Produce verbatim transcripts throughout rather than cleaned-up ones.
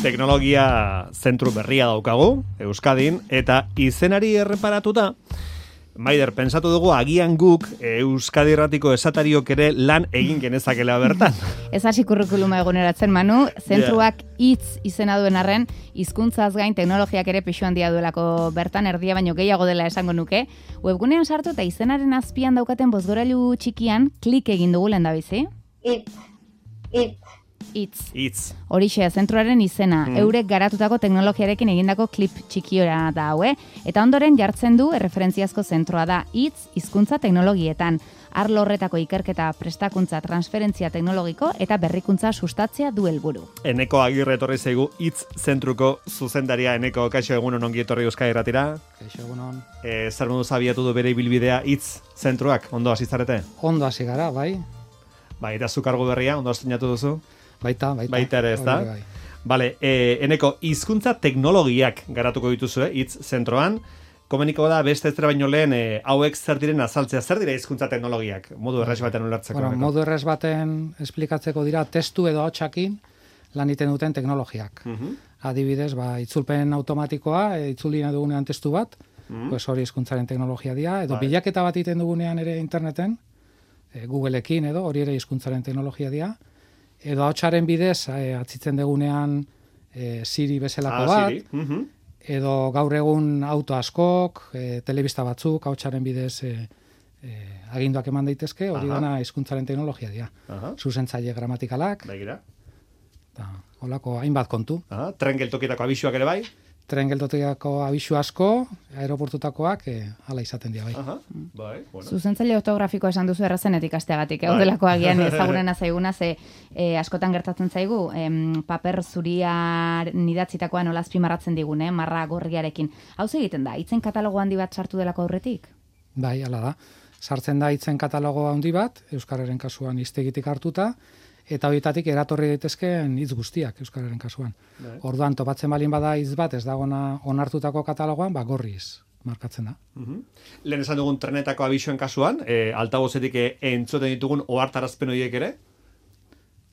teknologia zentru berria daukagu, Euskadin, eta izenari erreparatuta, Maider, pensatu dugu agian guk Euskadi Irratiko esatariok ere lan egin genezakela bertan. Ez hasi kurrikuluma eguneratzen, Manu, zentruak hitz izena duen arren, hizkuntzaz gain teknologiak ere pixu handia duelako bertan, erdia baino gehiago dela esango nuke. Webgunean sartu eta izenaren azpian daukaten bozgorailu txikian klik egin dugu lehendabizi. Hitz, hitz. Hitz. Hitz. Horixe, zentruaren izena, mm. eurek garatutako teknologiarekin egindako klip txikiora da hau, eh? Eta ondoren jartzen du erreferentziazko zentroa da hitz, hizkuntza teknologietan. Arlo horretako ikerketa, prestakuntza, transferentzia teknologiko eta berrikuntza sustatzea du helburu. Eneko Agirre etorri zaigu hitz zentruko zuzendaria. Eneko, kaixo egunon ongi etorri Euskadi Irratira. Kaixo egunon. Eh, zer modu abiatu du bere ibilbidea hitz zentruak? Ondo hasi zarete? Ondo hasi gara, bai. Bai, eta zu kargu berria, ondo estrenatu duzu? Baita, baita. Baita ere, ez da? Bai. Bale, eh, Eneko, hizkuntza teknologiak garatuko dituzue, hitz zentroan. Komeniko da, beste ez baino lehen, eh, hauek zer diren azaltzea. Zer dira hizkuntza teknologiak? Modu erraz baten ulertzeko. Bueno, modu erraz baten esplikatzeko dira, testu edo hotsakin lan iten duten teknologiak. Uh-huh. Adibidez, ba, itzulpen automatikoa, e, itzuli nahi dugunean testu bat, uh-huh. pues hori hizkuntzaren teknologia dira, edo bai. Bilaketa bat iten dugunean ere interneten, e, Googleekin edo, hori ere hizkuntzaren teknologia dira, edo ahotsaren bidez e, atzitzen dugunean e, Siri bezalako ah, bat, Siri. Uh-huh. edo gaur egun auto askok, e, telebista batzuk, ahotsaren bidez e, e, aginduak eman daitezke, hori dena hizkuntzaren teknologia dira. Uh-huh. Zuzentzaile gramatikalak, Begira. eta holako hainbat kontu. Uh-huh. Tren geltokietako abisuak ere bai? Tren geltokietako abisu asko, aeroportutakoak, e, hala izaten dira bai. Uh-huh. Bai, bueno. Zuzentzaile ortografikoa esan duzu errazenet ikasteagatik, hau delako agian ezagurena zaiguna, ze e, askotan gertatzen zaigu, em, paper zuria nidatzitakoa nola azpimarratzen digun, eh, marra gorriarekin. Hau egiten da, hitzen katalogo handi bat sartu delako aurretik? Bai, hala da. Sartzen da hitzen katalogo handi bat, euskararen kasuan hiztegitik hartuta, eta horietatik eratorri daitezkeen hitz guztiak euskararen kasuan. Bai. Orduan, topatzen balin bada hitz bat ez dagona onartutako katalogoan, ba gorriz markatzen da. Uh-huh. Lehen esan dugun trenetako abisuen kasuan, e, altabozetik e, entzuten ditugun ohartarazpen horiek ere?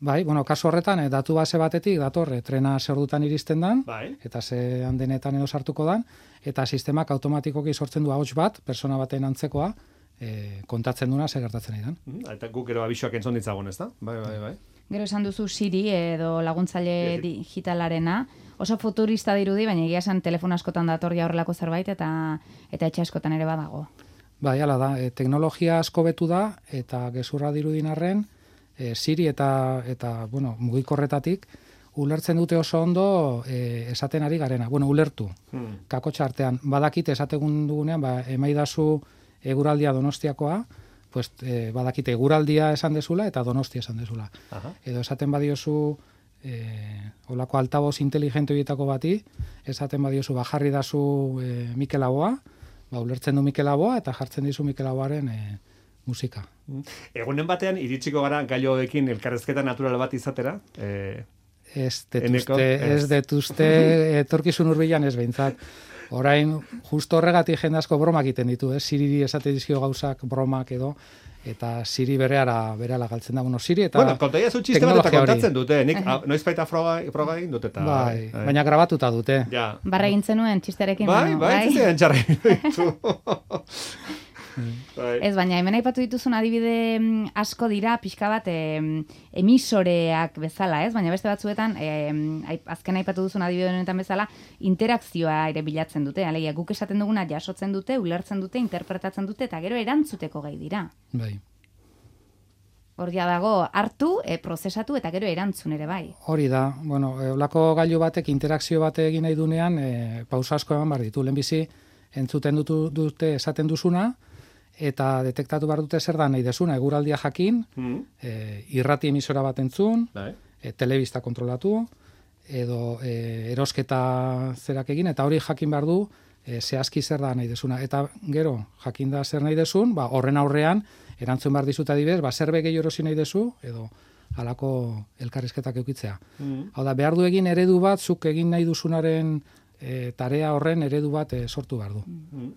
Bai, bueno, kasu horretan, e, datu base batetik datorre trena zer ordutan iristen dan, bai. Eta ze handenetan edo sartuko dan, eta sistemak automatikoki sortzen du ahots bat, persona baten antzekoa, E, kontatzen duna ze gertatzen idan. Mm, eta guk gero abisuak entzun ditzagun, ez da? Bai, bai, bai. Gero esan duzu Siri edo laguntzaile digitalarena, oso futurista dirudi, baina egia esan telefono askotan datorria horrelako zerbait eta eta etxe askotan ere badago. Bai, hala da, e, teknologia asko betu da eta gezurra dirudin arren, e, Siri eta eta bueno, mugikorretatik ulertzen dute oso ondo e, esaten ari garena. Bueno, ulertu. Hmm. Kakotxa artean badakite esategun dugunean, ba emaidazu eguraldia Donostiakoa, pues, e, badakite eguraldia esan dezula eta Donostia esan dezula. Aha. Edo esaten badiozu e, olako altaboz inteligente horietako bati, esaten badiozu bajarri dazu e, Mikel Laboa, ba, ulertzen du Mikel Laboa eta jartzen dizu Mikel Laboaren e, musika. Egunen batean, iritsiko gara gaioekin elkarrezketa natural bat izatera? E, ez detuzte, ez detuzte, etorkizun hurbilan ez behintzat. Orain, justo horregatik jende asko bromak egiten ditu, eh? Siri esate dizkio gauzak bromak edo, eta Siri bereara berehala galtzen da. Bueno, Siri eta bueno, kontaia zu txiste bat eta kontatzen dute. Nik noiz baita froga, froga egin dute. Eta, bai, bai, baina grabatuta dute. Ja. Barra egin zenuen txisterekin. Bai, bai, bai, txistean txarra. Ez, baina hemen aipatu dituzun adibide asko dira pixka bat e, emisoreak bezala, ez? Baina beste batzuetan, e, azken aipatu duzun adibide honetan bezala, interakzioa ere bilatzen dute. Alegia, guk esaten duguna jasotzen dute, ulertzen dute, interpretatzen dute, eta gero erantzuteko gai dira. Bai. Horria dago, hartu, e, prozesatu, eta gero erantzun ere bai. Hori da, bueno, olako gailu batek, interakzio bate egin nahi dunean, e, pausa asko eman behar ditu. Lehenbizi, entzuten dutu, dute esaten duzuna, eta detektatu behar dute zer da nahi desuna, eguraldia jakin, mm. e, irrati emisora bat entzun, e, telebista kontrolatu, edo e, erosketa zerak egin, eta hori jakin behar du, e, zehazki zer da nahi desuna. Eta gero, jakin da zer nahi desun, ba, horren aurrean, erantzun behar dizut adibidez, ba, zer begei erosi nahi dezu, edo halako elkarrizketak eukitzea. Mm. Hau da, behar du egin eredu bat, zuk egin nahi duzunaren E, tarea horren eredu bat e, sortu behar du.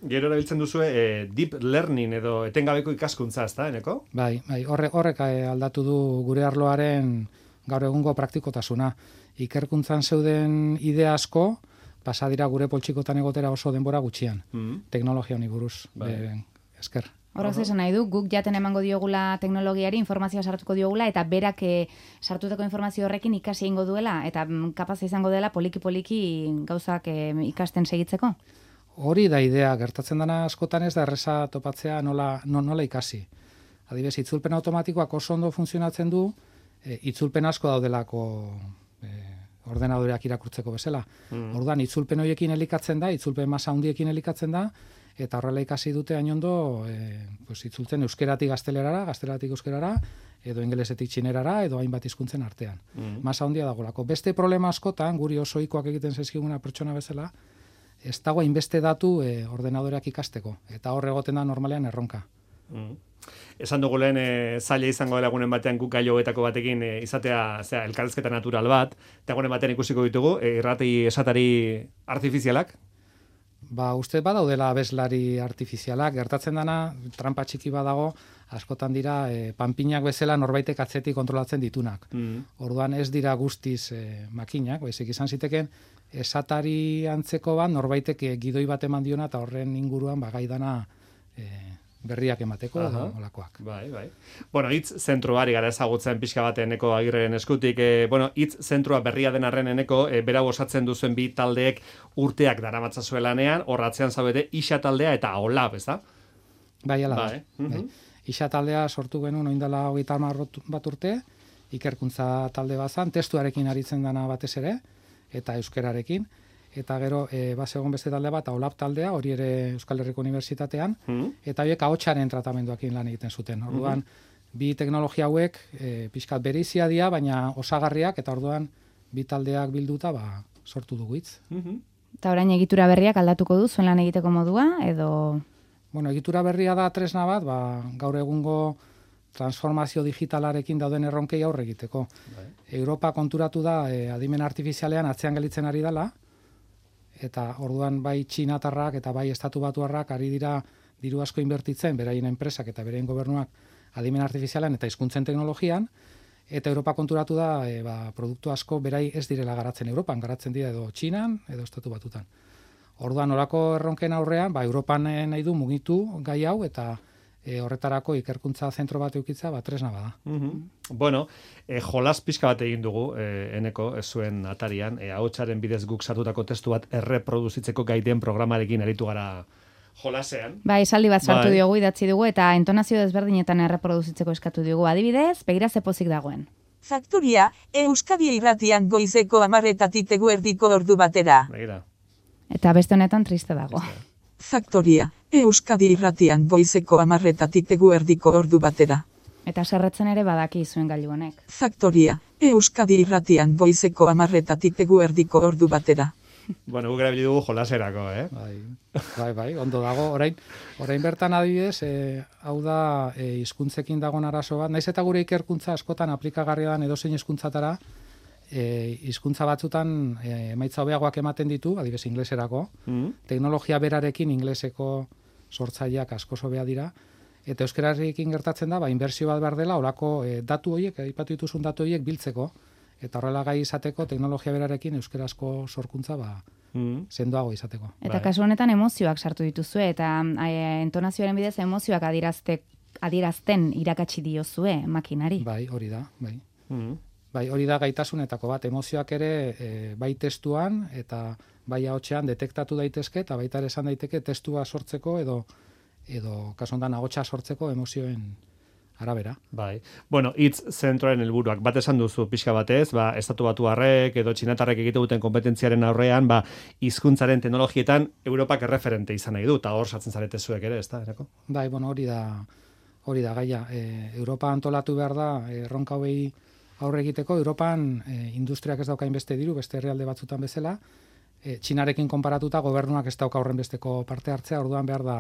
Gero erabiltzen duzu e, deep learning edo etengabeko ikaskuntza, ezta, Eneko? Bai, bai, horrek, horrek e, aldatu du gure arloaren gaur egungo praktikotasuna. Ikerkuntzan zeuden idea asko, pasa dira gure poltsikotan egotera oso denbora gutxian, mm. teknologia honi buruz, bai. Esker. Horrez esan nahi du, guk jaten emango diogula teknologiari, informazioa sartuko diogula, eta berak e, sartutako informazio horrekin ikasi egingo duela, eta kapaz izango dela poliki-poliki gauzak e, ikasten segitzeko? Hori da idea, gertatzen dena askotan ez da erreza topatzea nola, no, nola ikasi. Adibidez, itzulpen automatikoak oso ondo funtzionatzen du, e, itzulpen asko daudelako e, ordenadoreak irakurtzeko bezala. Mm. Orduan, itzulpen horiekin elikatzen da, itzulpen masa handiekin elikatzen da, eta horrela ikasi dute hainondo e, pues, itzultzen euskeratik gaztelerara, gazteleratik euskerara, edo ingelesetik txinerara, edo hainbat hizkuntzen artean. Mm. Masa handia dagolako. Beste problema askotan, guri oso ohikoak egiten zaizkiguna pertsona bezala, ez dago hainbeste datu e, ordenadoreak ikasteko, eta hor egoten da normalean erronka. Mm. Esan dugu lehen e, zaila izango dela gunen batean guk gaio hauetako batekin e, izatea zera, elkarrezketa natural bat, eta gunen batean ikusiko ditugu, e, irrati esatari artifizialak? Ba, uste badaudela abeslari artifizialak, gertatzen dana, trampa txiki badago, askotan dira, e, panpinak bezala norbaitek atzetik kontrolatzen ditunak. Mm. Orduan ez dira guztiz e, makinak, baizik izan ziteken, esatari antzeko bat, norbaitek e, gidoi bat eman diona, eta horren inguruan bagaidana e, berriak emateko, edo olakoak. Bai, bai. Bueno, hitz zentroari gara ezagutzen pixka bat Eneko Agirreren eskutik. E, bueno, hitz zentroa berria den arren Eneko, e, berau osatzen duzuen bi taldeek urteak daramatza lanean, horratzean zaudete Ixa taldea eta Olab, ez da? Bai, ala bai. da. Bai. Ixa taldea sortu genuen oindala hogeita hamar bat urte, ikerkuntza talde bazan, testuarekin aritzen dana batez ere, eta euskerarekin. Eta gero, e, bazegon beste talde bat, Olab taldea, hori ere Euskal Herriko Unibertsitatean, mm. eta horiek ahotsaren tratamenduakin lan egiten zuten. Orduan, mm-hmm. bi teknologia hauek e, pixkat bereizia dira, baina osagarriak, eta orduan bi taldeak bilduta ba, sortu dugu hitz. Mm-hmm. Eta orain egitura berriak aldatuko du, zuen lan egiteko modua, edo... Bueno, egitura berria da tresna bat, ba, gaur egungo transformazio digitalarekin dauden erronkei aurre egiteko. Bai. Europa konturatu da, e, adimen artifizialean atzean gelditzen ari dela, eta orduan bai txinatarrak eta bai estatu batuarrak ari dira diru asko inbertitzen, beraien enpresak eta beraien gobernuak adimen artifizialan eta hizkuntzen teknologian, eta Europa konturatu da e, ba, produktu asko berai ez direla garatzen Europan, garatzen dira edo Txinan edo estatu batutan. Orduan orako erronken aurrean, ba, Europan nahi du mugitu gai hau eta E, horretarako ikerkuntza zentro bat eukitza, ba, tresna bada. Mm-hmm. Bueno, e, jolas pixka bat egin dugu, e, Eneko, ez zuen atarian, e, ahotsaren bidez guk sartutako testu bat erreproduzitzeko gaiden programarekin aritu gara jolasean. Ba, esaldi bat sartu bai. diogu, idatzi dugu, eta intonazio desberdinetan erreproduzitzeko eskatu dugu. Adibidez, begira ze pozik dagoen. Faktoria, Euskadi irratian goizeko amarretatik eguerdiko ordu batera. Begira. Eta beste honetan triste dago. Beste. Faktoria, Euskadi irratian goizeko amarretatik eguerdiko ordu batera. Eta serretzen ere badaki zuen gailu honek. Faktoria, Euskadi irratian goizeko amarretatik eguerdiko ordu batera. Bueno, guk erabili dugu jolaserako, eh? Bai, bai, bai, ondo dago. Orain, orain bertan adibidez, e, hau da e, hizkuntzekin dagoen arazo bat. Naiz eta gure ikerkuntza askotan aplikagarria dan edozein hizkuntzatara, E, hizkuntza batzutan e, emaitza hobeagoak ematen ditu, adibidez ingleserako, mm. teknologia berarekin ingleseko sortzaileak asko hobea dira, eta euskerarekin gertatzen da, ba, inbertsio bat behar dela, olako e, datu horiek, aipatu dituzun datu horiek biltzeko, eta horrela gai izateko teknologia berarekin euskarazko sorkuntza ba, mm. sendoago izateko. Eta bai. Kasu honetan emozioak sartu dituzue, eta e, entonazioaren bidez emozioak adierazte, adierazten irakatsi diozue makinari. Bai, hori da, bai. Mm. Bai, hori da gaitasunetako bat, emozioak ere e, bai testuan eta bai ahotsean detektatu daitezke eta baita ere esan daiteke testua sortzeko edo edo kasu honetan ahotsa sortzeko emozioen arabera. Bai. Bueno, hitz zentroaren helburuak bat esan duzu pixka batez, ba estatu batuarrek edo txinatarrek egite duten konpetentziaren aurrean, ba hizkuntzaren teknologietan Europak erreferente izan nahi du, eta hor sartzen zarete zuek ere, ezta, erako? Bai, bueno, hori da hori da gaia. E, Europa antolatu behar da erronka hauei aurre egiteko. Europan e, industriak ez daukain beste diru, beste herrialde batzutan bezala, e, Txinarekin konparatuta gobernuak ez dauka horren besteko parte hartzea, orduan behar da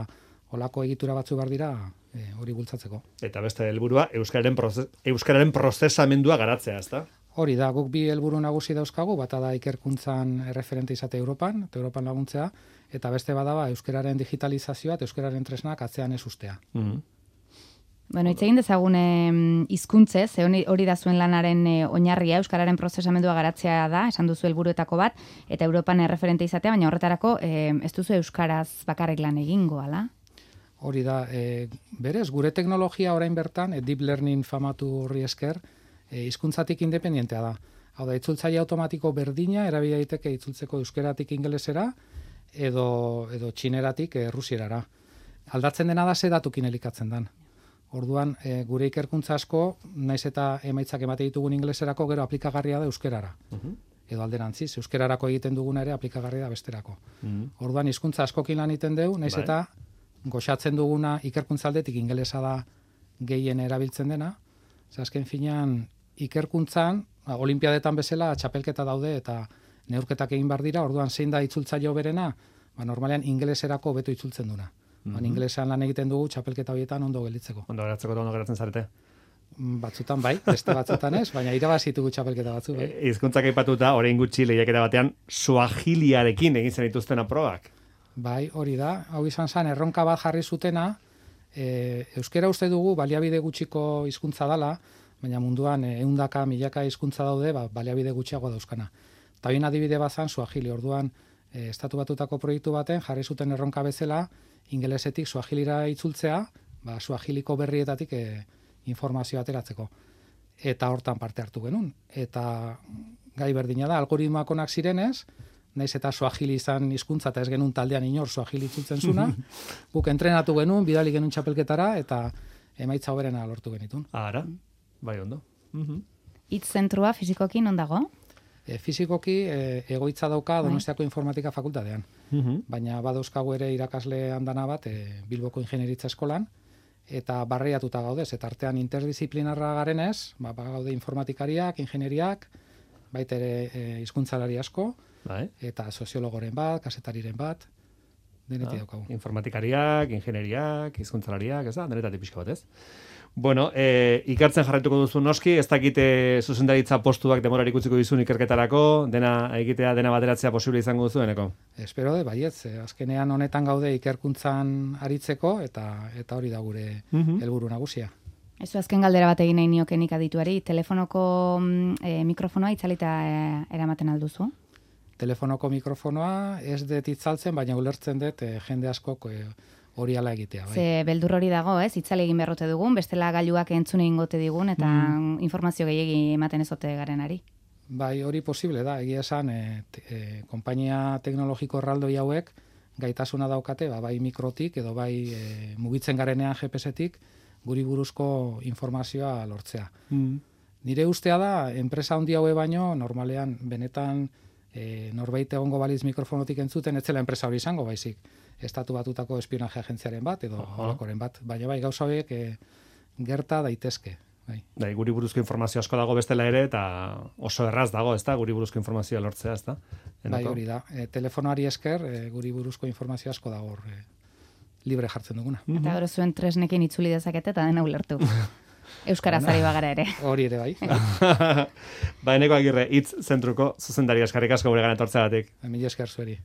olako egitura batzu behar dira e, hori bultzatzeko. Eta beste helburua euskararen prozes, euskararen prozesamendua garatzea, ezta? Hori da, guk bi helburu nagusi dauzkagu, bata da ikerkuntzan erreferente izate Europan, eta Europan laguntzea, eta beste bada ba, euskararen digitalizazioa eta euskararen tresnak atzean ez ustea. Mm-hmm. Bueno, hitz egin dezagun hizkuntzez, e, hori da zuen lanaren e, oinarria, euskararen prozesamendua garatzea da, esan duzu helburuetako bat, eta Europan erreferente izatea, baina horretarako e, ez duzu euskaraz bakarrik lan egingo, ala? Hori da, e, berez, gure teknologia orain bertan, e, deep learning famatu horri esker, e, hizkuntzatik independentea da. Hau da, itzultzaile automatiko berdina, erabili daiteke itzultzeko euskeratik ingelesera, edo, edo txineratik e, rusierara. Aldatzen dena da ze datukin elikatzen dan. Orduan, e, gure ikerkuntza asko, naiz eta emaitzak emate ditugun ingeleserako, gero aplikagarria da euskerara. Uh-huh. Edo alderantziz, euskerarako egiten duguna ere aplikagarria da besterako. Uh-huh. Orduan, hizkuntza askokin lan egiten dugu, naiz eta goxatzen duguna ikerkuntza aldetik ingelesa da gehien erabiltzen dena. Ze azken finean, ikerkuntzan, ba, olimpiadetan bezala, txapelketa daude eta neurketak egin bar dira, orduan zein da itzultzaile hoberena, ba, normalean ingeleserako hobeto itzultzen duna. Mm-hmm. Ingelesean lan egiten dugu txapelketa horietan ondo gelditzeko. Ondo geratzeko eta ondo geratzen zarete? Batzutan bai, beste batzutan ez, baina irabazitugu txapelketa batzu. Bai. E, Hizkuntzak aipatuta, orain gutxi lehiaketa batean, suahiliarekin egin zen dituzten probak. Bai, hori da. Hau izan zen, erronka bat jarri zutena, e, euskera uste dugu baliabide gutxiko hizkuntza dala, baina munduan ehundaka, milaka hizkuntza daude, ba, baliabide gutxiago dauzkana. Eta bain adibide bat zan, suahili, orduan, e, estatu batutako proiektu baten jarri zuten erronka bezala, ingelesetik suahilira itzultzea, ba, suahiliko berrietatik e, informazioa ateratzeko. Eta hortan parte hartu genuen. Eta gai berdina da, algoritmoak onak zirenez, naiz eta suahili izan hizkuntza eta ez genuen taldean inor suahili itzultzen zuna, guk entrenatu genuen, bidali genuen txapelketara, eta emaitza hoberena lortu genitun. Ara, bai ondo. Uh-huh. Hitz zentrua fizikoki non dago? E, fizikoki e, egoitza dauka Donostiako informatika fakultatean. Uh-huh. Baina badauzkagu ere irakasle handana bat e, Bilboko ingenieritza eskolan, eta barreiatuta gaudez, eta artean interdisciplinarra garenez, ba, gaude informatikariak, ingenieriak, baita ere e, hizkuntzalari asko, bai. Eta soziologoren bat, kasetariren bat, denetik ah, daukagu. Informatikariak, ingenieriak, hizkuntzalariak, ez da, denetatik pixka bat ez? Bueno, e, ikartzen jarraituko duzu noski, ez dakite zuzendaritza postuak demorarik utziko dizun ikerketarako, dena egitea, dena bateratzea posible izango duzu, eneko? Espero de, baietz, azkenean honetan gaude ikerkuntzan aritzeko, eta eta hori da gure uh-huh. helburu nagusia. Ez azken galdera bat egin nahi niokenik adituari, telefonoko e, mikrofonoa itzalita e, eramaten alduzu? Telefonoko mikrofonoa ez dut itzaltzen, baina ulertzen dut e, jende askok e, hori ala egitea. Bai. Ze beldur hori dago, ez? Itzale egin beharrote dugun, bestela gailuak entzune ingote digun, eta mm. informazio gehiegi ematen ezote garenari. Bai, hori posible da, egia esan, e, te, e, konpainia teknologiko erraldoi hauek gaitasuna daukate, ba, bai mikrotik, edo bai e, mugitzen garenean G P S-etik, guri buruzko informazioa lortzea. Mm. Nire ustea da, enpresa handi haue baino, normalean, benetan, e, norbait egongo baliz mikrofonotik entzuten, etzela enpresa hori izango, baizik. Estatu batutako espionaje agentziaren bat, edo holakoren bat. Baina bai, gauza horiek e, gerta daitezke. Bai. Dai, guri buruzko informazio asko dago bestela ere, eta oso erraz dago, ezta, guri buruzko informazioa lortzea, ezta? Bai, hori da. E, telefonoari esker, e, guri buruzko informazio asko dago hor, e, libre jartzen duguna. Eta gero zuen tresnekin itzuli dezakete, eta dena ulertu. Euskaraz ari bagara ere. Hori ere, bai. Ba, Eneko Agirre, hitz zentruko zuzendari eskarrik asko gure gana etortzeagatik. Mila esker zueri.